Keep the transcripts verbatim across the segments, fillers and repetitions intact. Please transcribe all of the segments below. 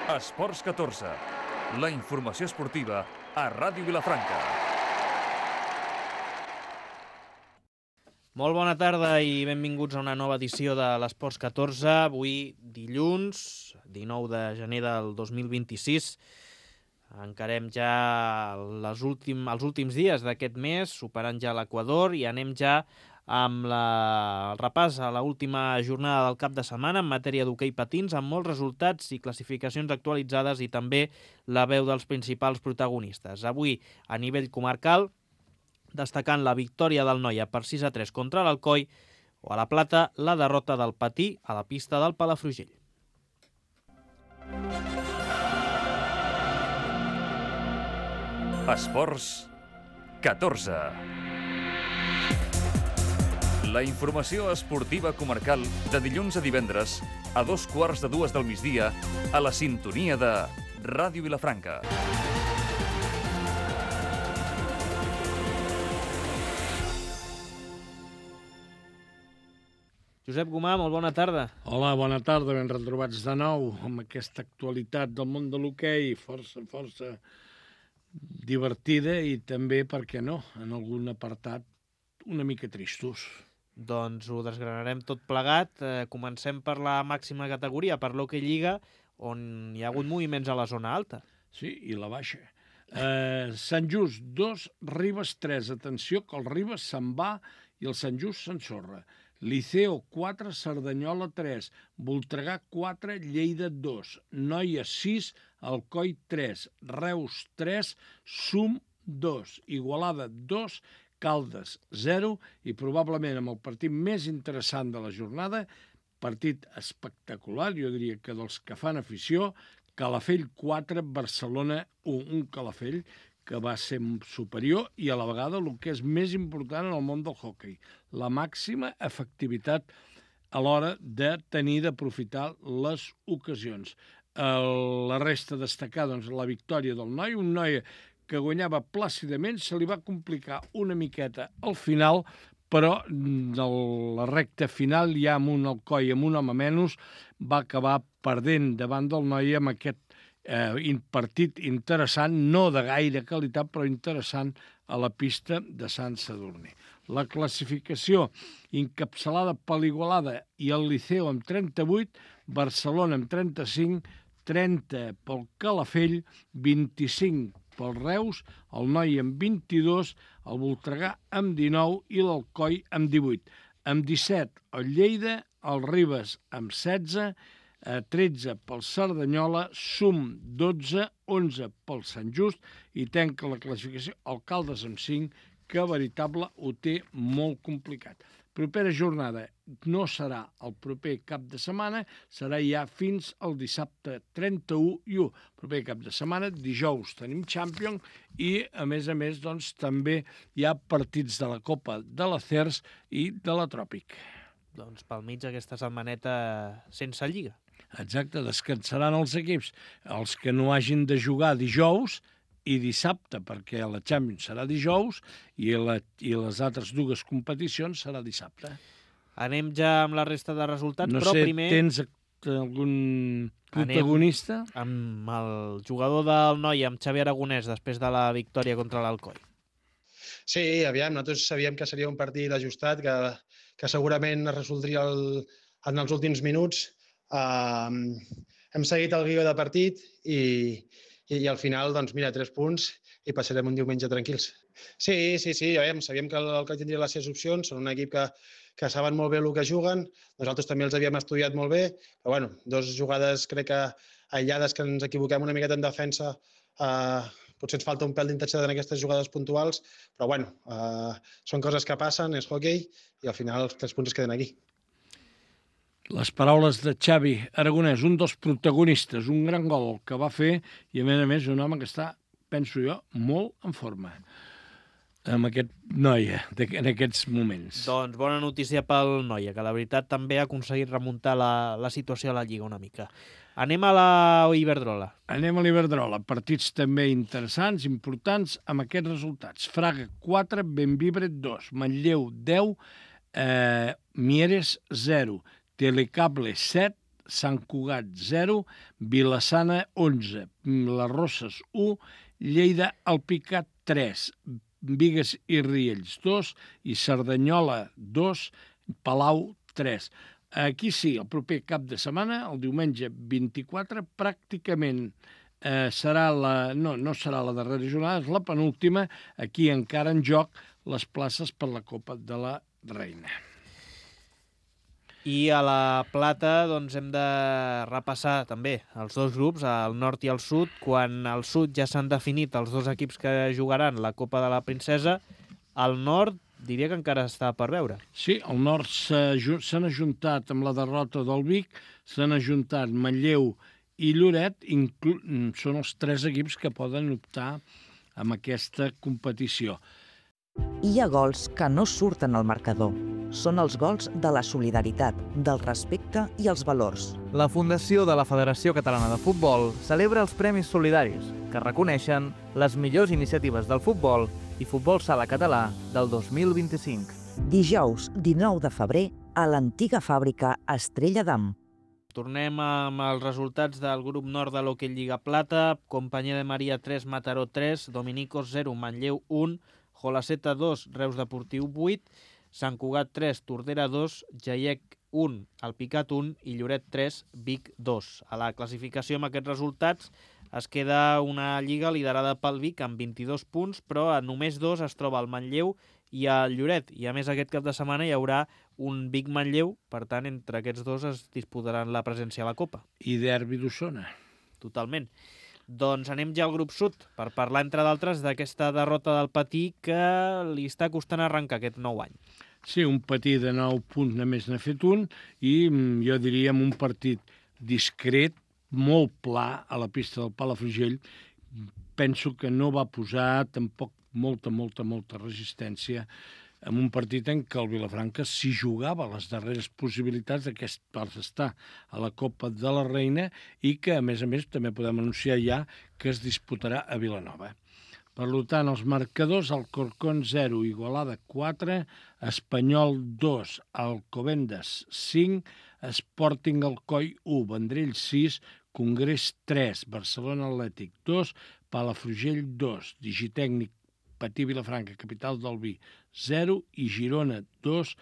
Esports catorze, la informació esportiva a Ràdio Vilafranca. Molt bona tarda i benvinguts a una nova edició de l'Esports catorze. Avui, dilluns, dinou de gener del dos mil vint-i-sis. Encarem ja les últim, els últims dies d'aquest mes, superant ja l'Equador, i anem ja amb la, el repàs a l'última jornada del cap de setmana en matèria d'hoquei patins, amb molts resultats i classificacions actualitzades i també la veu dels principals protagonistes. Avui, a nivell comarcal, destacant la victòria del Noia per sis a tres contra l'Alcoi, o a la plata, la derrota del Patí a la pista del Palafrugell. Esports catorze. La informació esportiva comarcal de dilluns a divendres a dos quarts de dues del migdia a la sintonia de Ràdio Vilafranca. Josep Gomà, molt bona tarda. Hola, bona tarda, ben retrobats de nou amb aquesta actualitat del món de l'hoquei, força, força divertida i també, per què no, en algun apartat una mica tristos. Doncs ho desgranarem tot plegat. Eh, comencem per la màxima categoria, per l'Hockey Lliga, on hi ha hagut moviments a la zona alta. Sí, i la baixa. Eh, Sant Just dos, Ribes tres. Atenció que el Ribes se'n va i el Sant Just s'ensorra. Liceo quatre, Cerdanyola tres, Voltregà quatre, Lleida dos, Noia sis, Alcoi tres, Reus tres, Sum dos, Igualada dos, Caldes zero i probablement amb el partit més interessant de la jornada, partit espectacular, jo diria que dels que fan afició, Calafell quatre, Barcelona un, un Calafell que va ser superior i a la vegada el que és més important en el món del hoquei, la màxima efectivitat a l'hora de tenir d'aprofitar les ocasions. El, la resta a destacar, doncs, la victòria del Noi, un Noi que guanyava plàcidament, se li va complicar una miqueta al final, però de la recta final, ja amb un Alcoi, amb un home menys, va acabar perdent davant del Noi amb aquest eh, partit interessant, no de gaire qualitat, però interessant a la pista de Sant Sadurní. La classificació encapçalada per l'Igualada i el Liceu amb trenta-vuit, Barcelona amb trenta-cinc, trenta pel Calafell, vint-i-cinc pel Reus, el Noi amb vint-i-dos, el Voltregà amb dinou i l'Alcoi amb divuit. Amb disset el Lleida, el Ribes amb setze, tretze pel Cerdanyola, Sum dotze, onze pel Sant Just i tanca la classificació el Caldes amb cinc, que veritable ho té molt complicat. Propera jornada no serà el proper cap de setmana, serà ja fins al dissabte trenta-u i u. Proper cap de setmana, dijous tenim Champions i, a més a més, doncs, també hi ha partits de la Copa de la C E R S i de la Tròpic. Doncs pel mig aquesta setmaneta sense lliga. Exacte, descansaran els equips. Els que no hagin de jugar dijous i dissabte, perquè la Champions serà dijous i, la, i les altres dues competicions serà dissabte. Anem ja amb la resta de resultats, no però sé, primer... tens algun protagonista? Anem amb el jugador del Noi, amb Xavi Aragonès, després de la victòria contra l'Alcoi. Sí, aviam, nosaltres sabíem que seria un partit ajustat, que, que segurament es resoldria el, en els últims minuts. Uh, hem seguit el guió de partit i, i, i al final, doncs mira, tres punts i passarem un diumenge tranquils. Sí, sí, sí, aviam, sabíem que el Alcoi tindria les seves opcions, són un equip que, que saben molt bé el que juguen, nosaltres també els havíem estudiat molt bé, però bueno, dos jugades crec que aïllades que ens equivoquem una miqueta en defensa, uh, potser ens falta un pèl d'intensitat en aquestes jugades puntuals, però bueno, uh, són coses que passen, és hoquei i al final els tres punts es queden aquí. Les paraules de Xavi Aragonès, un dels protagonistes, un gran gol que va fer i a més a més un home que està, penso jo, molt en forma amb aquest Noia en aquests moments. Doncs bona notícia pel Noia, que la veritat també ha aconseguit remuntar la, la situació a la Lliga una mica. Anem a la Iberdrola. Anem a l'Iberdrola. Partits també interessants, importants, amb aquests resultats. Fraga quatre, Bembibre dos, Manlleu deu, eh, Mieres zero, Telecable set, Sant Cugat zero, Vila-sana onze, les Roses u, Lleida Alpicat tres, Bigues i Riells dos i Cerdanyola dos, Palau tres. Aquí sí, el proper cap de setmana, el diumenge vint-i-quatre, pràcticament eh, serà la... No, no serà la darrera jornada, és la penúltima. Aquí encara en joc les places per la Copa de la Reina. I a la plata doncs, hem de repassar també els dos grups, el nord i el sud. Quan al sud ja s'han definit els dos equips que jugaran la Copa de la Princesa, al nord diria que encara està per veure. Sí, al nord s'han ajuntat amb la derrota del Vic, s'han ajuntat Manlleu i Lloret, són els tres equips que poden optar amb aquesta competició. Hi ha gols que no surten al marcador. Són els gols de la solidaritat, del respecte i els valors. La Fundació de la Federació Catalana de Futbol celebra els Premis Solidaris, que reconeixen les millors iniciatives del futbol i futbol sala català del dos mil vint-i-cinc. Dijous, dinou de febrer, a l'antiga fàbrica Estrella d'Am. Tornem amb els resultats del grup nord de l'Hockey Lliga Plata. Companyia de Maria tres, Mataró tres, Dominicos zero, Manlleu un, Jolaseta dos, Reus Deportiu vuit, Sant Cugat tres, Tordera dos, Jaiec un, Alpicat un i Lloret tres, Vic dos. A la classificació amb aquests resultats es queda una lliga liderada pel Vic amb vint-i-dos punts, però a només dos es troba el Manlleu i el Lloret. I a més aquest cap de setmana hi haurà un Vic-Manlleu, per tant entre aquests dos es disputaran la presència a la Copa. I derbi d'Osona. Totalment. Doncs anem ja al grup sud, per parlar, entre d'altres, d'aquesta derrota del Patí que li està costant arrencar aquest nou any. Sí, un Patí de nou punts només n'ha fet un i jo diria un partit discret, molt pla a la pista del Palafrugell. Penso que no va posar tampoc molta, molta, molta resistència en un partit en què el Vilafranca s'hi jugava les darreres possibilitats d'aquest per estar a la Copa de la Reina i que, a més a més, també podem anunciar ja que es disputarà a Vilanova. Per tant, els marcadors, Alcorcón zero, Igualada quatre, Espanyol dos, Alcobendas cinc, Sporting Alcoi u, Vendrell sis, Congrés tres, Barcelona Atlètic dos, Palafrugell dos, Digitècnic Patí Vilafranca, capital del vi, zero i Girona dos,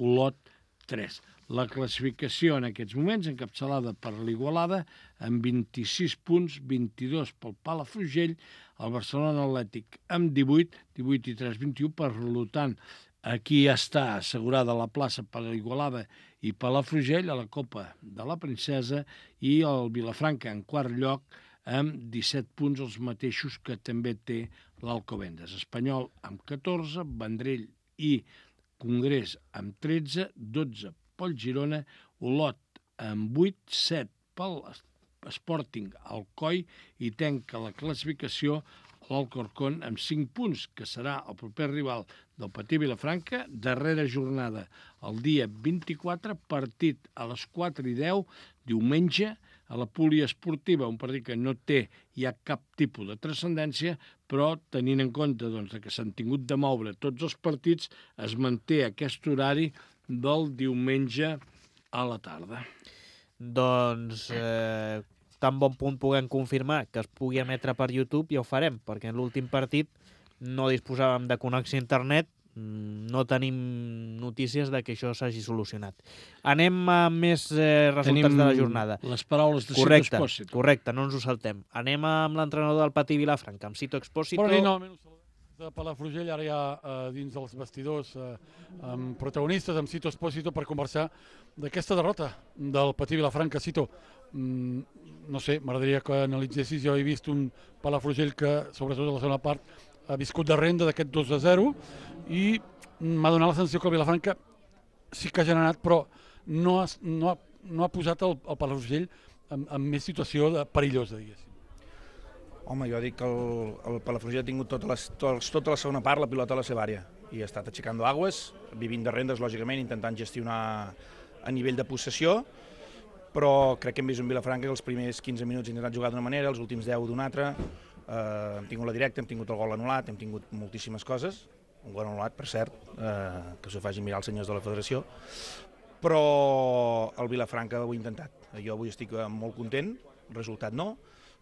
Olot tres. La classificació en aquests moments, encapçalada per l'Igualada, amb vint-i-sis punts, vint-i-dos pel Palafrugell, el Barcelona Atlètic amb divuit, divuit i tres, vint-i-u, per tant, aquí ja està assegurada la plaça per l'Igualada i Palafrugell a la Copa de la Princesa i el Vilafranca en quart lloc, amb disset punts, els mateixos que també té l'Alcobendas. Espanyol amb catorze, Vendrell i Congrés amb tretze, dotze pel Girona, Olot amb vuit, set pel Sporting Alcoi i tanca la classificació l'Alcorcón amb cinc punts, que serà el proper rival del Patí Vilafranca, darrera jornada el dia vint-i-quatre, partit a les quatre i deu, diumenge, a la poliesportiva, un partit que no té ja cap tipus de transcendència, però tenint en compte doncs, que s'han tingut de moure tots els partits, es manté aquest horari del diumenge a la tarda. Doncs eh, tan bon punt puguem confirmar que es pugui emetre per YouTube, ja ho farem, perquè en l'últim partit no disposàvem de connexió a internet, no tenim notícies de que això s'hagi solucionat. Anem a més eh, resultats Tenim de la jornada. Les paraules de correcte, Cito Expósito. Correcte, no ens ho saltem. Anem amb l'entrenador del Patí Vilafranca, amb Cito Expósito. Bona nit, novament, de Palafrugell, ara ja eh, dins dels vestidors, eh, amb protagonistes, amb Cito Expósito, per conversar d'aquesta derrota del Patí Vilafranca. Cito, mm, no sé, m'agradaria que analitzessis, jo he vist un Palafrugell que, sobretot a la segona part, ha viscut de renda d'aquest dos a zero i m'ha donat la sensació que el Vilafranca sí que ha generat, però no ha, no ha, no ha posat el, el Palafrugell en, en més situació de perillosa, diguéssim. Home, jo dic que el, el Palafrugell ha tingut tota la, tota la segona part la pilota a la seva àrea i ha estat aixecant aigües, vivint de rendes, lògicament, intentant gestionar a nivell de possessió, però crec que hem vist un Vilafranca que els primers quinze minuts ha intentat jugar d'una manera, els últims deu d'una altra. Uh, hem tingut la directa, hem tingut el gol anul·lat, hem tingut moltíssimes coses, un gol anul·lat, per cert, uh, que s'ho facin mirar els senyors de la federació, però el Vilafranca ho ha intentat. Jo avui estic molt content, el resultat no,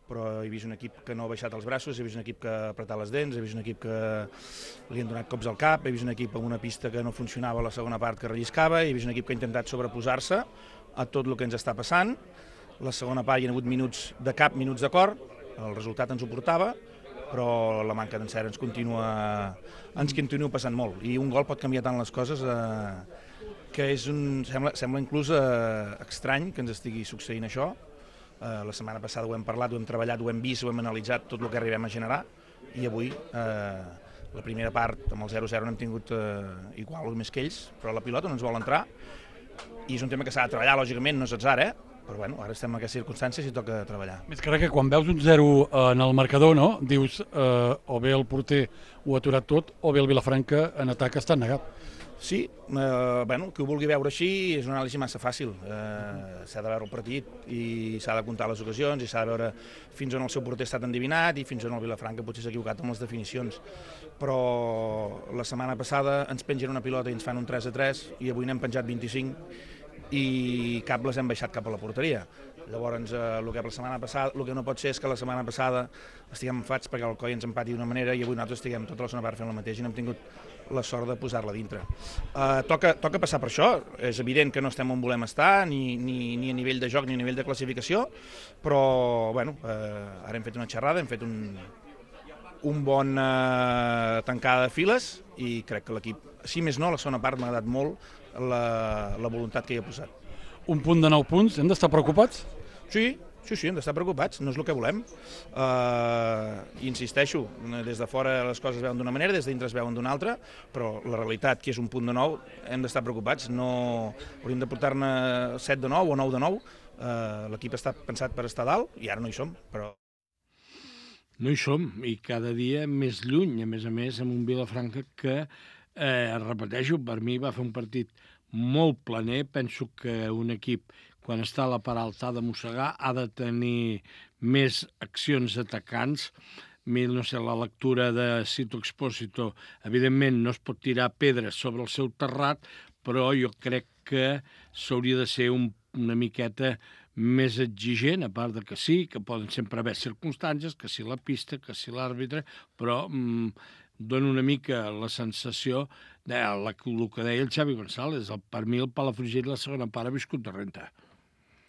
però he vist un equip que no ha baixat els braços, he vist un equip que ha apretat les dents, he vist un equip que li han donat cops al cap, he vist un equip amb una pista que no funcionava a la segona part que relliscava, he vist un equip que ha intentat sobreposar-se a tot el que ens està passant. La segona part hi ha hagut minuts de cap, minuts de cor, el resultat ens ho portava, però la manca d'encert ens continua, ens continua passant molt. I un gol pot canviar tant les coses eh, que és un, sembla, sembla inclús eh, estrany que ens estigui succeint això. Eh, la setmana passada ho hem parlat, ho hem treballat, ho hem vist, ho hem analitzat tot el que arribem a generar i avui eh, la primera part amb el zero zero n'hem tingut eh, igual o més que ells, però la pilota no ens vol entrar i és un tema que s'ha de treballar, lògicament, no és atzar, eh? Però bueno, ara estem en aquestes circumstàncies i toca treballar. Més que res que quan veus un zero en el marcador, no? Dius eh, o bé el porter ho ha aturat tot o bé el Vilafranca en atac està negat. Sí, eh, bueno, qui ho vulgui veure així és una anàlisi massa fàcil. Eh, s'ha de veure el partit i s'ha de comptar les ocasions i s'ha de veure fins on el seu porter ha estat endivinat i fins on el Vilafranca potser s'ha equivocat amb les definicions. Però la setmana passada ens pengen una pilota i ens fan un tres a tres i avui n'hem penjat vint-i-cinc i cap les hem baixat cap a la porteria. Llavors, eh, el que la setmana passada, el que no pot ser és que la setmana passada estiguem enfats perquè el Coi ens empati d'una manera i avui nosaltres estiguem tota la segona part fent el mateix i no hem tingut la sort de posar-la dintre. Eh, toca, toca passar per això, és evident que no estem on volem estar, ni, ni, ni a nivell de joc ni a nivell de classificació, però bueno, eh, ara hem fet una xerrada, hem fet un, un bon eh, tancada de files i crec que l'equip, si més no, la segona part m'ha agradat molt la, la voluntat que hi ha posat. Un punt de nou punts, hem d'estar preocupats? Sí, sí, sí, hem d'estar preocupats, no és el que volem. Uh, insisteixo, des de fora les coses es veuen d'una manera, des de dintre es veuen d'una altra, però la realitat, que és un punt de nou, hem d'estar preocupats. No hauríem de portar-ne set de nou o nou de nou. Uh, l'equip està pensat per estar dalt i ara no hi som, però... No hi som, i cada dia més lluny, a més a més, amb un Vilafranca que, eh, repeteixo, per mi va fer un partit molt planer. Penso que un equip, quan està a la part alta, ha de mossegar, ha de tenir més accions atacants. No sé, la lectura de Sito Expósito, evidentment no es pot tirar pedres sobre el seu terrat, però jo crec que s'hauria de ser un, una miqueta més exigent, a part de que sí, que poden sempre haver circumstàncies, que si la pista, que si l'àrbitre, però mm, dona una mica la sensació de la, el que deia el Xavi González. El, per mi el Palafrugell la segona part ha viscut de renta.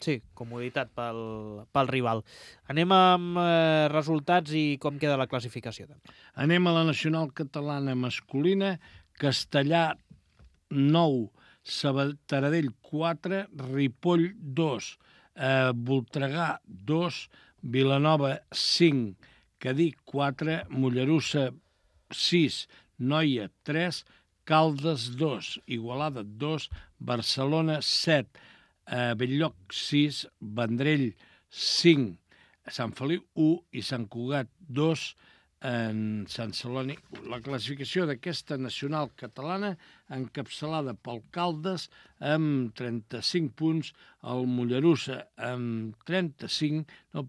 Sí, comoditat pel, pel rival. Anem amb eh, resultats i com queda la classificació. També. Anem a la nacional catalana masculina. Castellà nou, Taradell quatre, Ripoll dos, eh, Voltregà dos, Vilanova cinc, Cadí quatre, Mollerussa sis, Noia tres, Caldes dos, Igualada dos, Barcelona set, eh, Belllloc sis, Vendrell cinc, Sant Feliu u i Sant Cugat dos, en Sant Celoni u. La classificació d'aquesta nacional catalana encapçalada pel Caldes amb trenta-cinc punts, el Mollerussa amb trenta-cinc, no,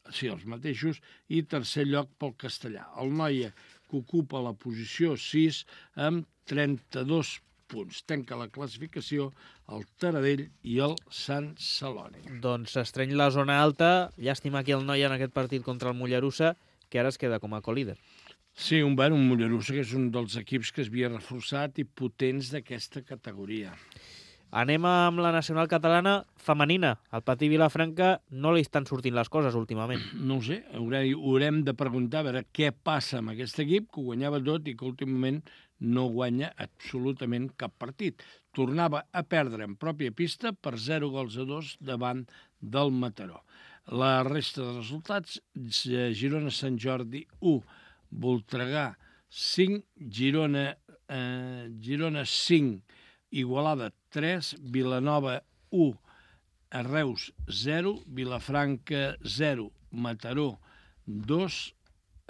sí, els mateixos, i tercer lloc pel Castellà. El Noia, que ocupa la posició sis amb trenta-dos punts. Tanca la classificació el Taradell i el Sant Celoni. Doncs s'estreny la zona alta. Llàstima aquí el Noia en aquest partit contra el Mollerussa, que ara es queda com a colíder. Sí, un, bueno, un Mollerussa que és un dels equips que es havia reforçat i potents d'aquesta categoria. Anem amb la nacional catalana femenina. Al Patí Vilafranca no li estan sortint les coses últimament. No ho sé, haurem, haurem de preguntar a veure què passa amb aquest equip, que ho guanyava tot i que últimament no guanya absolutament cap partit. Tornava a perdre en pròpia pista per zero gols a dos davant del Mataró. La resta de resultats, Girona-Sant Jordi u, Voltregà cinc, Girona, eh, Girona cinc, Igualada tres, Vilanova u, Reus zero, Vilafranca zero, Mataró dos,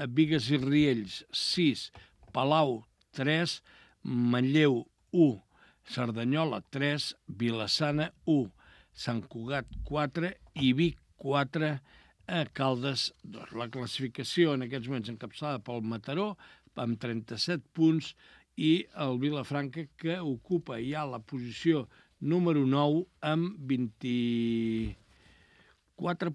Bigues i Riells sis, Palau tres, Manlleu u, Cerdanyola tres, Vilassana u, Sant Cugat quatre i Vic quatre, a Caldes dos. La classificació en aquests moments encapçalada pel Mataró amb trenta-set punts i el Vilafranca, que ocupa ja la posició número nou, amb vint-i-quatre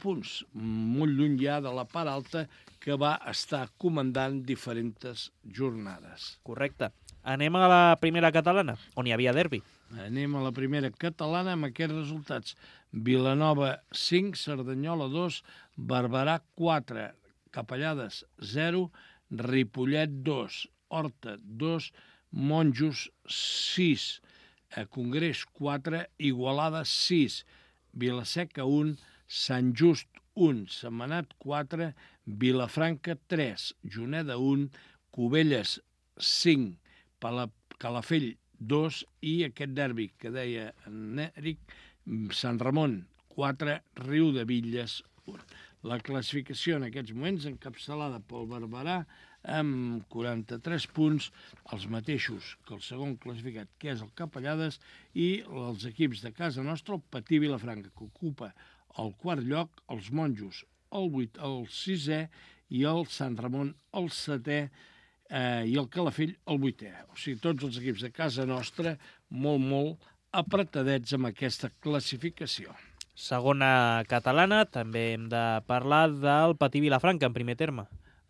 punts, molt lluny ja de la part alta, que va estar comandant diferents jornades. Correcte. Anem a la primera catalana, on hi havia derbi. Anem a la primera catalana amb aquests resultats. Vilanova cinc, Cerdanyola dos, Barberà quatre, Capellades zero, Ripollet dos, Horta dos, Monjos sis, Congrés quatre, Igualada sis, Vilaseca un, Sant Just un, Sentmenat quatre, Vilafranca tres, Juneda un, Cubelles cinc, Calafell dos i aquest derbi que deia en Eric, Sant Ramon quatre, Riudebitlles un. La classificació en aquests moments encapçalada pel Barberà amb quaranta-tres punts, els mateixos que el segon classificat, que és el Capellades, i els equips de casa nostra, el Patí Vilafranca, que ocupa el quart lloc, els Monjos el, vuit, el sisè i el Sant Ramon el setè eh, i el Calafell el vuitè. O sigui, tots els equips de casa nostra molt, molt apretadets amb aquesta classificació. Segona catalana, també hem de parlar del Patí Vilafranca, en primer terme.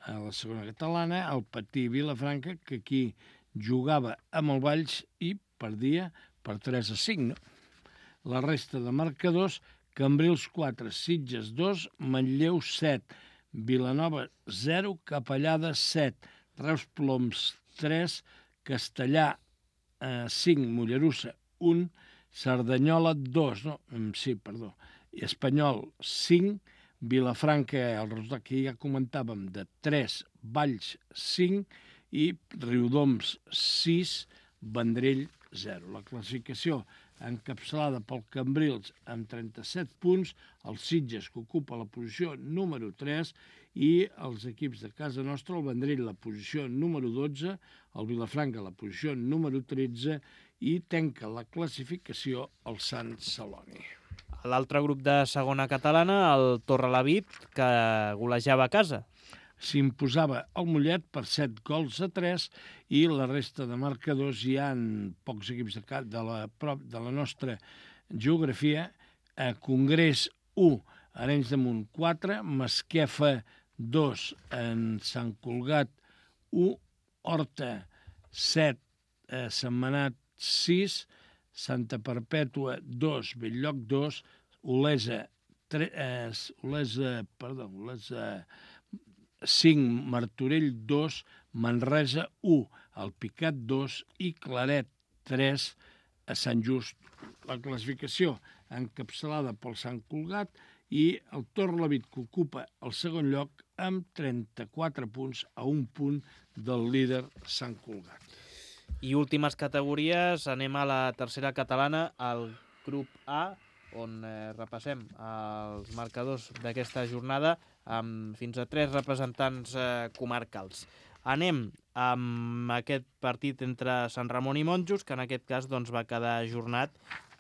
A la segona catalana, el Patí Vilafranca, que aquí jugava amb el Valls i perdia per tres a cinc. No? La resta de marcadors, Cambrils quatre, Sitges dos, Manlleu set, Vilanova zero, Capellada set, Reus Ploms tres, Castellà eh, cinc, Mollerussa un, Cerdanyola dos, no, sí, perdó, Espanyol cinc, Vilafranca, el resultat que ja comentàvem, de tres, Valls cinc i Riudoms sis, Vendrell zero. La classificació encapçalada pel Cambrils amb trenta-set punts, el Sitges, que ocupa la posició número tres, i els equips de casa nostra, el Vendrell, la posició número dotze, el Vilafranca, la posició número tretze, i tanca la classificació el Sant Celoni. L'altre grup de segona catalana, el Torrelavit, que golejava a casa. S'imposava el Mollet per set gols a tres i la resta de marcadors hi ha pocs equips de, de, la, de la nostra geografia. A Congrés u, Arenys de Munt quatre, Masquefa dos, en Sant Cugat u, Horta set, eh, Sentmenat sis, Santa Perpètua dos, Belllloc dos, Olesa, tre, eh, Olesa, perdó, Olesa cinc, Martorell dos, Manresa u, Alpicat dos i Claret tres a Sant Just. La classificació encapçalada pel Sant Cugat i el Torrelavit, que ocupa el segon lloc amb trenta-quatre punts, a un punt del líder Sant Cugat. I últimes categories, anem a la tercera catalana, al grup A, on eh, repassem els marcadors d'aquesta jornada amb fins a tres representants eh, comarcals. Anem amb aquest partit entre Sant Ramon i Monjos, que en aquest cas doncs, va quedar ajornat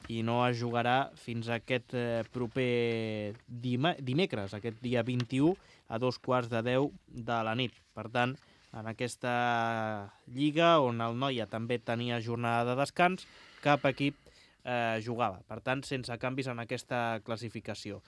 i no es jugarà fins a aquest eh, proper dima, dimecres, aquest dia vint-i-u, a dos quarts de deu de la nit. Per tant, en aquesta lliga, on el Noia també tenia jornada de descans, cap equip eh, jugava. Per tant, sense canvis en aquesta classificació.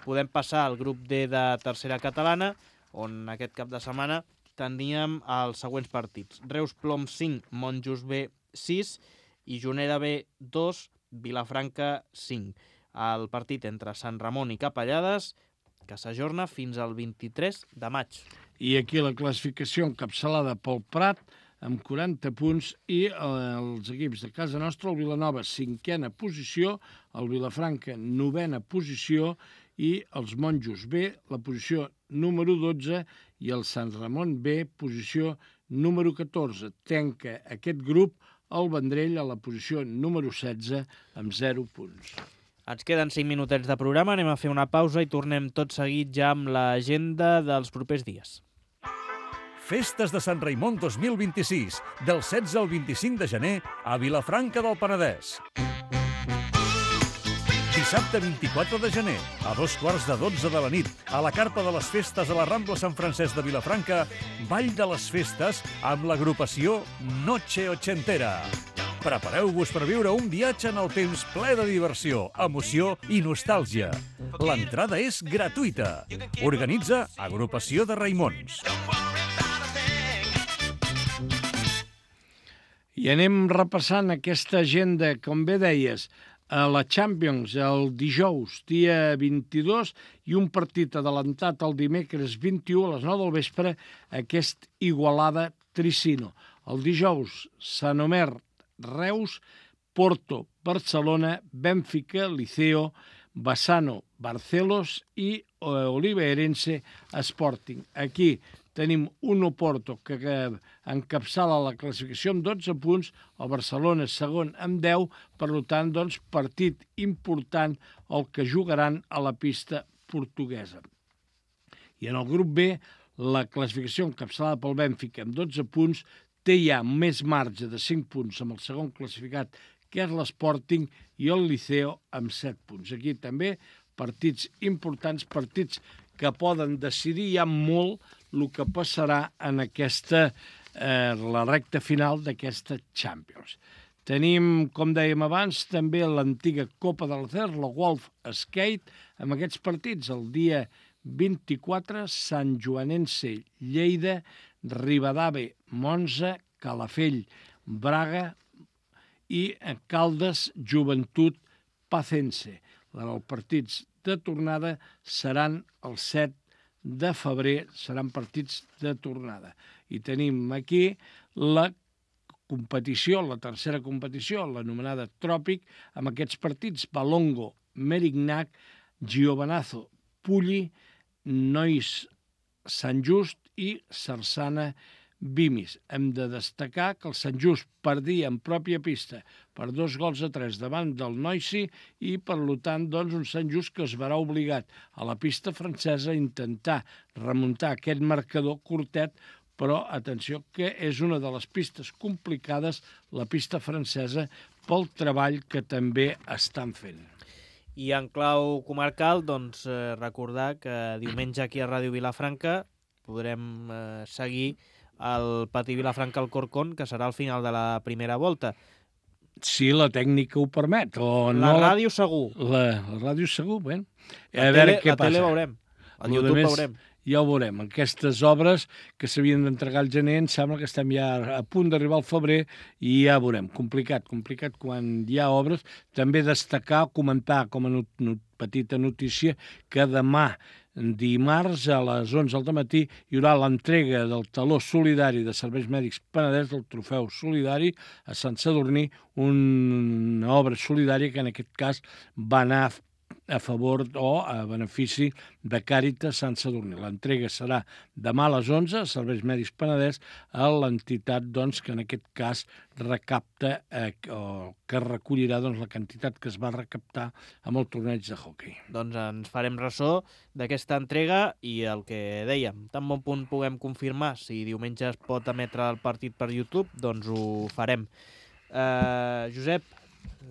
Podem passar al grup D de tercera catalana, on aquest cap de setmana teníem els següents partits. Reus Plom cinc, Monjos B sis i Juneda B dos, Vilafranca cinc. El partit entre Sant Ramon i Capellades, que s'ajorna fins al vint-i-tres de maig. I aquí la classificació encapçalada pel Prat, amb quaranta punts, i els equips de casa nostra, el Vilanova, cinquena posició, el Vilafranca, novena posició, i els Monjos B, la posició número dotze, i el Sant Ramon B, posició número catorze. Tanca aquest grup el Vendrell a la posició número setze, amb zero punts. Ens queden cinc minutets de programa, anem a fer una pausa i tornem tot seguit ja amb l'agenda dels propers dies. Festes de Sant Raimon dos mil vint-i-sis, del setze al vint-i-cinc de gener a Vilafranca del Penedès. Dissabte vint-i-quatre de gener, a dos quarts de dotze de la nit, a la carpa de les festes a la Rambla Sant Francesc de Vilafranca, Ball de les Festes amb l'agrupació Noche Ochentera. Prepareu-vos per viure un viatge en el temps ple de diversió, emoció i nostàlgia. L'entrada és gratuïta. Organitza Agrupació de Raimons. I anem repassant aquesta agenda, com bé deies, a la Champions el dijous, dia vint-i-dos, i un partit adelantat el dimecres vint-i-u a les nou del vespre, aquest Igualada Tricino. El dijous, Sant Omer, Reus, Porto, Barcelona, Bènfica, Liceo, Bassano, Barcelos i Oliveirense Sporting. Aquí tenim un Oporto que encapçala la classificació amb dotze punts, el Barcelona segon amb deu, per tant, doncs, partit important el que jugaran a la pista portuguesa. I en el grup B, la classificació encapçalada pel Bènfica amb dotze punts té ja més marge de cinc punts amb el segon classificat, que és l'Sporting, i el Liceo amb set punts. Aquí també partits importants, partits que poden decidir ja molt el que passarà en aquesta, eh, la recta final d'aquesta Champions. Tenim, com dèiem abans, també l'antiga Copa del Cer, la Wolf Skate, amb aquests partits. El dia vint-i-quatre, Sant Joanense, Lleida, Ribadave, Monza, Calafell, Braga i Caldes, Joventut, Pacense. Els partits de tornada seran el set de febrer, seran partits de tornada. I tenim aquí la competició, la tercera competició, l'anomenada Tròpic, amb aquests partits: Balongo, Merignac, Giovanazo, Pulli, Nois, Sant Just i Sarsana, Vimis. Hem de destacar que el Sant Just perdia en pròpia pista per dos gols a tres davant del Noisy i, per tant, doncs, un Sant Just que es verà obligat a la pista francesa a intentar remuntar aquest marcador curtet, però, atenció, que és una de les pistes complicades, la pista francesa, pel treball que també estan fent. I en clau comarcal, doncs, eh, recordar que diumenge aquí a Ràdio Vilafranca podrem eh, seguir el Patí Vilafranca Alcorcón, que serà al final de la primera volta. Si la tècnica ho permet. O la no ràdio segur. La, la ràdio segur, bé. A veure què passa. La tele veurem. Al YouTube més, veurem. Ja ho veurem. Aquestes obres que s'havien d'entregar al gener, em sembla que estem ja a punt d'arribar al febrer i ja veurem. Complicat, complicat quan hi ha obres. També destacar, comentar com a not, not, petita notícia, que demà, dimarts, a les onze del matí, hi haurà l'entrega del taló solidari de Serveis Mèdics Penedès, del trofeu solidari a Sant Sadurní, una obra solidària que en aquest cas va anar a favor o a benefici de Càritas Sant Sadurní. L'entrega serà demà a les onze, a Serveis Mèdics Penedès, a l'entitat doncs, que en aquest cas recapta eh, o que recollirà doncs, la quantitat que es va recaptar amb el torneig de hoquei. Doncs ens farem ressò d'aquesta entrega i el que dèiem, tan bon punt puguem confirmar si diumenge es pot emetre el partit per YouTube, doncs ho farem. Uh, Josep,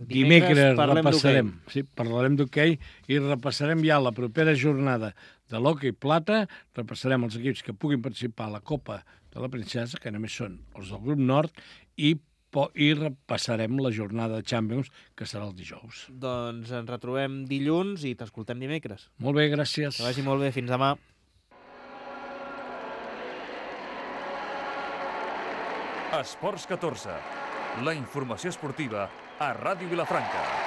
dimecres, dimecres repassarem, sí, parlarem d'hoquei i repassarem ja la propera jornada de l'hoquei plata, repassarem els equips que puguin participar a la Copa de la Princesa, que només són els del grup nord, i, i repassarem la jornada de Champions, que serà el dijous. Doncs ens retrobem dilluns i t'escoltem dimecres. Molt bé, gràcies. Que vagi molt bé, fins demà. Esports catorze, la informació esportiva a Ràdio Vilafranca.